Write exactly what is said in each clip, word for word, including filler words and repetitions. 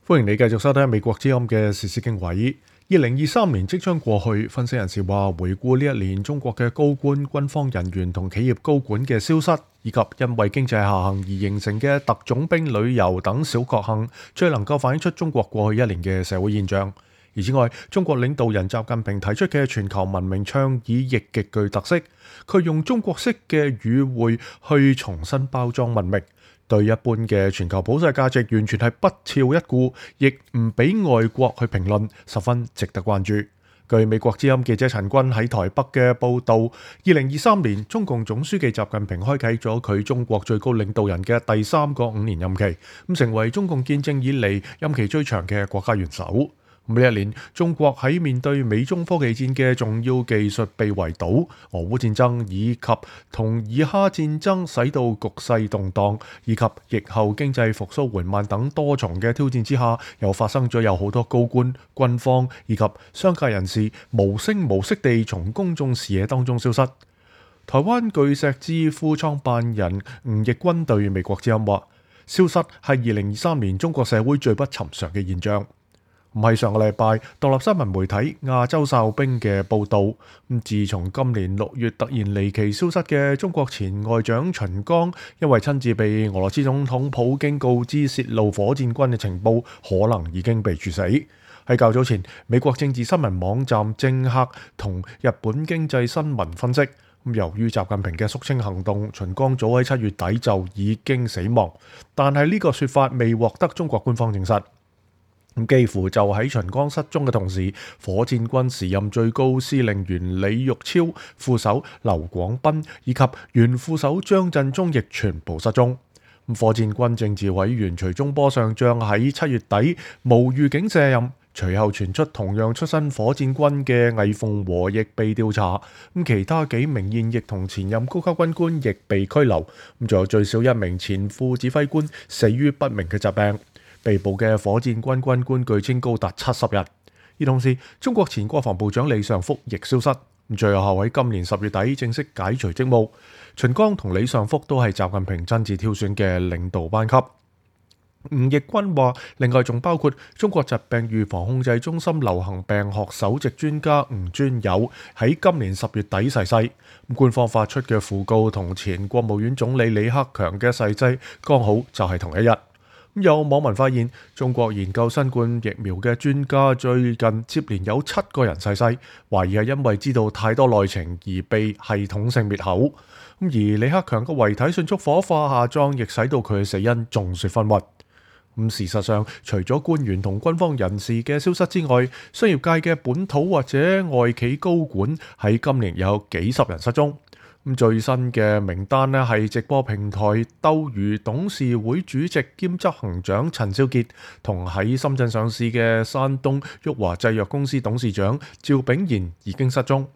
歡迎你繼續收聽美國之音嘅時事經緯。二零二三年即將過去，分析人士話，回顧呢一年中國嘅高官、軍方人員同企業高管嘅消失，以及因為經濟下行而形成嘅特種兵旅遊等小確幸，最能夠反映出中國過去一年嘅社會現象。而此外，中國領導人習近平提出嘅全球文明倡議亦極具特色，佢用中國式嘅語彙去重新包裝文明，對一般嘅全球普世價值完全係不屑一顧，亦唔俾外國去評論，十分值得關注。據美國之音記者陳君喺台北嘅報導，二零二三年中共總書記習近平開啟咗佢中國最高領導人嘅第三個五年任期，咁成為中共建政以嚟任期最長嘅國家元首。呢一年，中國喺面對美中科技戰嘅重要技術被圍堵、俄烏戰爭以及同以哈戰爭使到局勢動盪，以及疫後經濟復甦緩慢等多重嘅挑戰之下，又發生咗有好多高官、軍方以及商界人士無聲無息地從公眾視野當中消失。台灣巨石智庫創辦人吳奕君對美國之音話：消失係二零二三年中國社會最不尋常嘅現象。唔係上個禮拜獨立新聞媒體亞洲哨兵嘅報導，咁自從今年六月突然離奇消失嘅中國前外長秦剛，因為親自被俄羅斯總統普京告知泄露火箭軍嘅情報，可能已經被處死。喺較早前，美國政治新聞網站政客同日本經濟新聞分析，咁由於習近平嘅肅清行動，秦剛早喺七月底就已經死亡，但係呢個說法未獲得中國官方證實。咁幾乎就喺秦剛失蹤嘅同時，火箭軍時任最高司令員李玉超、副手劉廣斌以及原副手張振中亦全部失蹤。火箭軍政治委員徐忠波上將喺七月底無預警卸任，隨後傳出同樣出身火箭軍嘅魏鳳和亦被調查，咁其他幾名現役同前任高級軍官亦被拘留，咁仲有最少一名前副指揮官死於不明嘅疾病。被捕嘅火箭軍軍官據稱高達七十人，而同時中國前國防部長李尚福亦消失，最後喺今年十月底正式解除職務。秦剛同李尚福都係習近平親自挑選嘅領導班級。吳奕君話，另外仲包括中國疾病預防控制中心流行病學首席專家吳尊友喺今年十月底逝世，官方發出嘅訃告同前國務院總理李克強嘅逝世剛好就係同一日。有網民發現，中國研究新冠疫苗嘅專家最近接連有七個人逝世，懷疑係因為知道太多內情而被系統性滅口。而李克強嘅遺體迅速火化下葬，亦使到佢嘅死因眾說紛紜。咁事實上，除咗官員同軍方人士嘅消失之外，商業界嘅本土或者外企高管喺今年有幾十人失蹤。咁最新嘅名單呢，係直播平台鬥魚董事會主席兼執行長陳少傑，同喺深圳上市嘅山東旭華製藥公司董事長趙炳賢已經失蹤，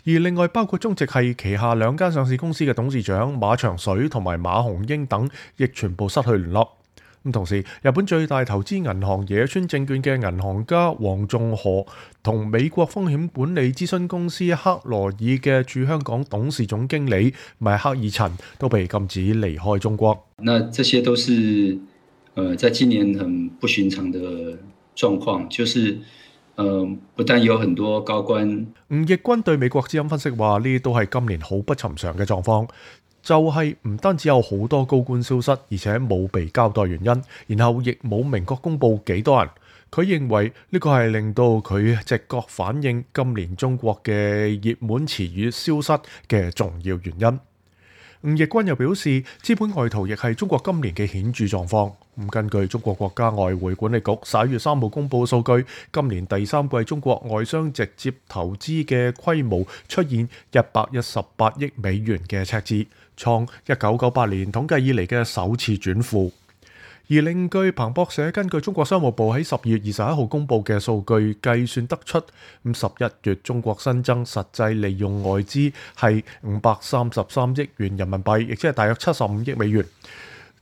而另外包括中植系旗下兩間上市公司嘅董事長馬長水同埋馬紅英等，亦全部失去聯絡。咁同時，日本最大投資銀行野村證券嘅銀行家黃仲河同美國風險管理諮詢公司克羅爾嘅駐香港董事總經理邁克爾陳都被禁止離開中國。那這些都是，呃，在今年很不尋常的狀況，就是，呃，不但有很多高官。吳奕君對美國之音分析話：呢啲都係今年好不尋常嘅狀況。就係唔單止有好多高官消失，而且冇被交代原因，然後亦冇明確公佈幾多人。佢認為呢個係令到佢直覺反映今年中國嘅熱門詞語消失嘅重要原因。吳奕君又表示，資本外逃亦係中國今年嘅顯著狀況。咁根據中國國家外匯管理局十一月三號公佈嘅數據，今年第三季中國外商直接投資嘅規模出現一百一十八億美元嘅赤字，創一九九八年統計以嚟嘅首次轉負。而另據彭博社根據中國商務部喺十二月二十一號公佈嘅數據計算得出，咁十一月中國新增實際利用外資係五百三十三億元人民幣，亦即係大約七十五億美元。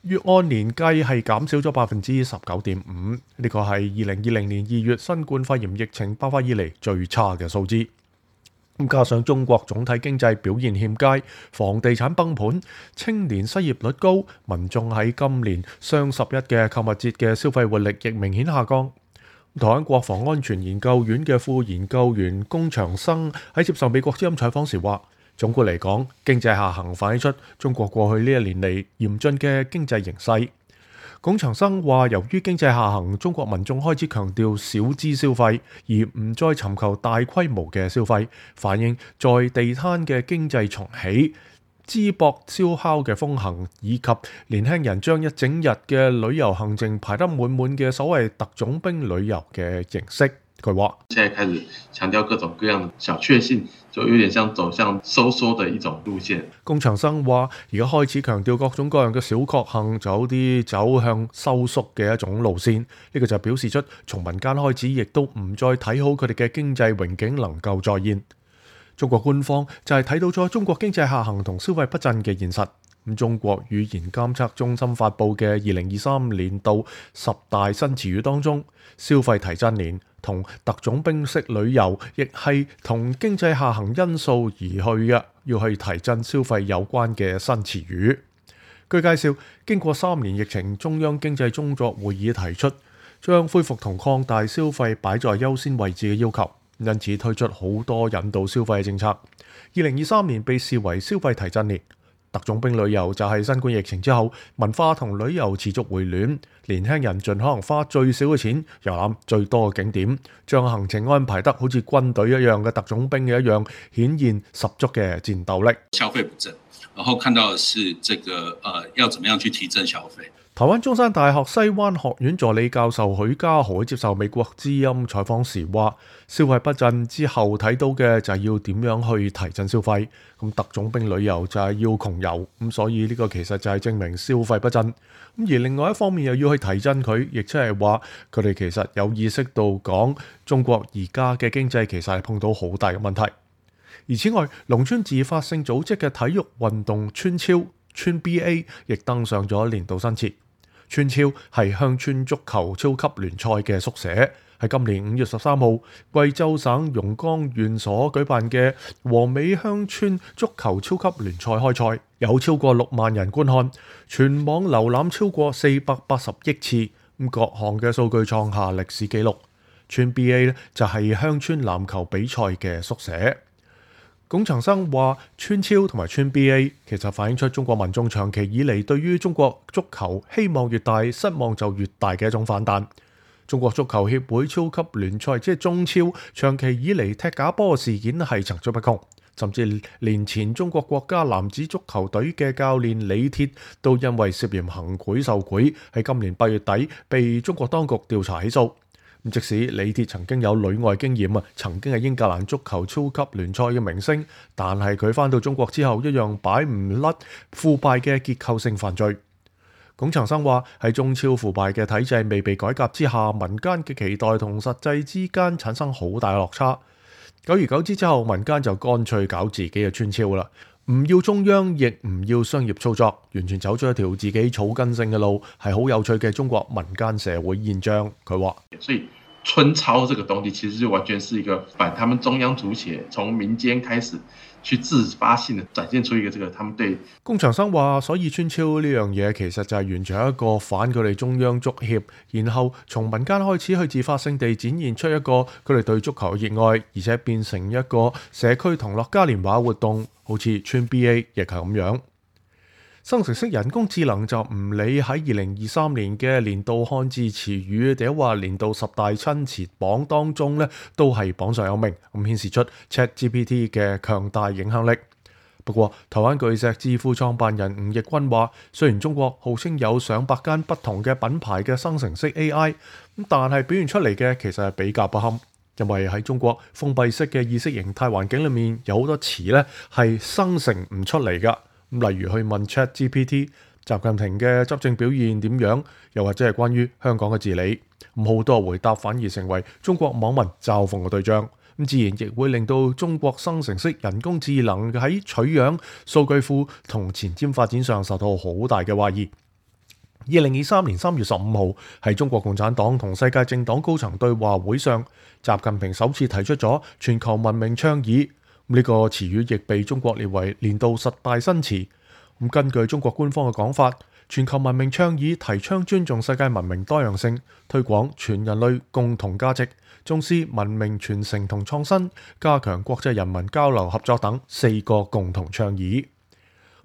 月按年計係減少咗百分之十九點五，呢個係二零二零年二月新冠肺炎疫情爆發以嚟最差嘅數字。咁加上中國總體經濟表現欠佳，房地產崩盤，青年失業率高，民眾喺今年雙十一嘅購物節嘅消費活力亦明顯下降。台灣國防安全研究院嘅副研究員龔長生喺接受美國之音採訪時話，總括嚟講，經濟下行反映出中國過去呢一年嚟嚴峻嘅經濟形勢。龔長生話，由於經濟下行，中國民眾開始強調小資消費，而唔再尋求大規模嘅消費，反映在地攤嘅經濟重起、淄博燒烤嘅風行，以及年輕人將一整日嘅旅遊行程排得滿滿嘅所謂特種兵旅遊嘅形式。佢話：現在開始強調各種各樣的小確幸，就有點像走向收縮的一種路線。龔長生話：而家開始強調各種各樣嘅小確幸，就有啲走向收縮嘅一種路線。呢、這個就表示出從民間開始，亦都唔再睇好佢哋嘅經濟榮景能夠再現。中國官方就係睇到咗中國經濟下行同消費不振嘅現實。咁中國語言監測中心發布嘅二零二三年度十大新詞語當中，消費提振年同特種兵式旅遊亦係同經濟下行因素而去嘅，要去提振消費有關嘅新詞語。據介紹，經過三年疫情，中央經濟工作會議提出將恢復同擴大消費擺在優先位置嘅要求，因此推出好多引導消費嘅政策。二零二三年被視為消費提振年。特種兵旅遊就係新冠疫情之後，文化同旅遊持續回暖，年輕人盡可能花最少嘅錢遊覽最多嘅景點，將行程安排得好似軍隊一樣嘅特種兵嘅一樣，顯現十足嘅戰鬥力。消費不振，然後看到的是這個，呃，要怎麼樣去提振消費。台灣中山大學西灣學院助理教授許家豪接受美國之音採訪時話，消費不振之後睇到嘅就係要點樣去提振消費。咁特種兵旅遊就係要窮遊，咁所以呢個其實就係證明消費不振。咁而另外一方面又要去提振佢，亦即係話佢哋其實有意識到講中國而家嘅經濟其實係碰到好大嘅問題。而此外，農村自發性組織嘅體育運動村超村 B A 亦登上咗年度新詞。村超係鄉村足球超級聯賽嘅縮寫，喺今年五月十三號，貴州省榕江縣所舉辦嘅和美鄉村足球超級聯賽開賽，有超過六萬人觀看，全網瀏覽超過四百八十億次，各項嘅數據創下歷史紀錄。村 B A 咧就係鄉村籃球比賽嘅縮寫。龔長生話：村超同埋村 B A 其實反映出中國民眾長期以嚟對於中國足球希望越大，失望就越大嘅一種反彈。中國足球協會超級聯賽即係中超，長期以嚟踢假波事件係層出不窮，甚至連前中國國家男子足球隊嘅教練李鐵都因為涉嫌行賄受賄，喺今年八月底被中國當局調查起訴。即使李鐵曾經有旅外經驗啊，曾經係英格蘭足球超級聯賽嘅明星，但係佢返到中國之後一樣擺唔甩腐敗嘅結構性犯罪。龔長生話：喺中超腐敗嘅體制未被改革之下，民間嘅期待同實際之間產生好大落差。久而久之之後，民間就乾脆搞自己嘅村超啦，唔要中央，亦唔要商業操作，完全走出一條自己草根性嘅路，係好有趣嘅中國民間社會現象。佢話：所以村超這個東西其實就完全是一個反他們中央足協從民間開始去自發性的展現出一個這個他們對。龔長生話：所以村超呢樣嘢其實就係完全係一個反佢哋中央足協，然後從民間開始去自發性地展現出一個佢哋對足球嘅熱愛，而且變成一個社區同樂嘉年華活動，好似村 B A 亦係咁樣。生成式人工智能就唔理喺二零二三年嘅年度漢字詞語，或者話年度十大親詞榜當中咧，都係榜上有名，咁顯示出 ChatGPT 嘅強大影響力。不過，台灣巨石智庫創辦人吳奕君話：雖然中國號稱有上百間不同嘅品牌嘅生成式 A I，咁但係表現出嚟嘅其實係比較不堪，因為喺中國封閉式嘅意識形態環境裏面，有好多詞咧係生成唔出嚟㗎。例如去問 ChatGPT 習近平嘅執政表現點樣，又或者係關於香港嘅治理，咁好多回答反而成為中國網民嘲諷嘅對象，咁自然亦會令到中國生成式人工智能喺取樣、數據庫同前瞻發展上受到好大嘅懷疑。二零二三年三月十五號，喺中國共產黨同世界政黨高層對話會上，習近平首次提出咗全球文明倡議。呢個詞語亦被中國列為年度十大新詞。咁根據中國官方嘅講法，全球文明倡議提倡尊重世界文明多樣性，推廣全人類共同價值，重視文明傳承同創新，加強國際人民交流合作等四個共同倡議。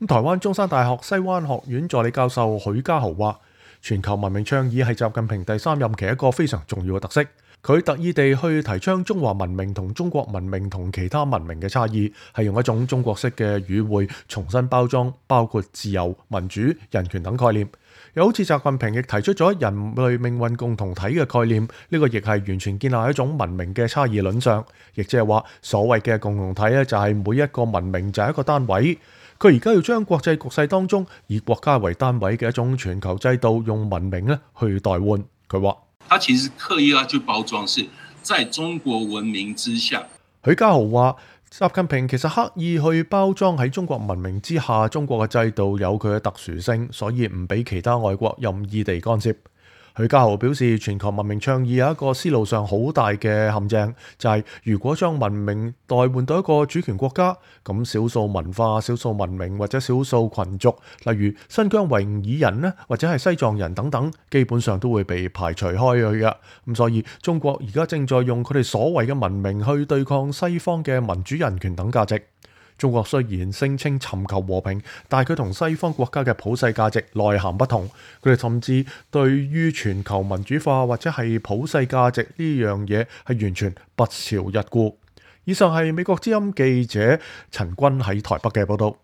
咁台灣中山大學西灣學院助理教授許家豪話，全球文明倡議係習近平第三任期一個非常重要嘅特色。佢特意地去提倡中華文明同中國文明同其他文明嘅差異，係用一種中國式嘅語彙重新包裝，包括自由、民主、人權等概念。又好似習近平亦提出咗人類命運共同體嘅概念，呢、這個亦係完全建立一種文明嘅差異論上，亦即係話所謂嘅共同體咧，就係每一個文明就係一個單位。佢而家要將國際局勢當中以國家為單位嘅一種全球制度，用文明咧去代換。佢話。他其實刻意要去包裝，是在中國文明之下。許家豪話，習近平其實刻意去包裝喺中國文明之下，中國嘅制度有佢嘅特殊性，所以唔俾其他外國任意地干涉。許家豪表示，全球文明倡議有一個思路上好大嘅陷阱，就係、是、如果將文明代換到一個主權國家，咁少數文化、少數文明或者少數群族，例如新疆維吾爾人呢，或者係西藏人等等，基本上都會被排除開去嘅。咁所以中國而家正在用佢哋所謂嘅文明去對抗西方嘅民主、人權等價值。中國雖然聲稱尋求和平，但係佢同西方國家嘅普世價值內涵不同。佢哋甚至對於全球民主化或者係普世價值呢樣嘢係完全不屑一顧。以上係美國之音記者陳君喺台北嘅報道。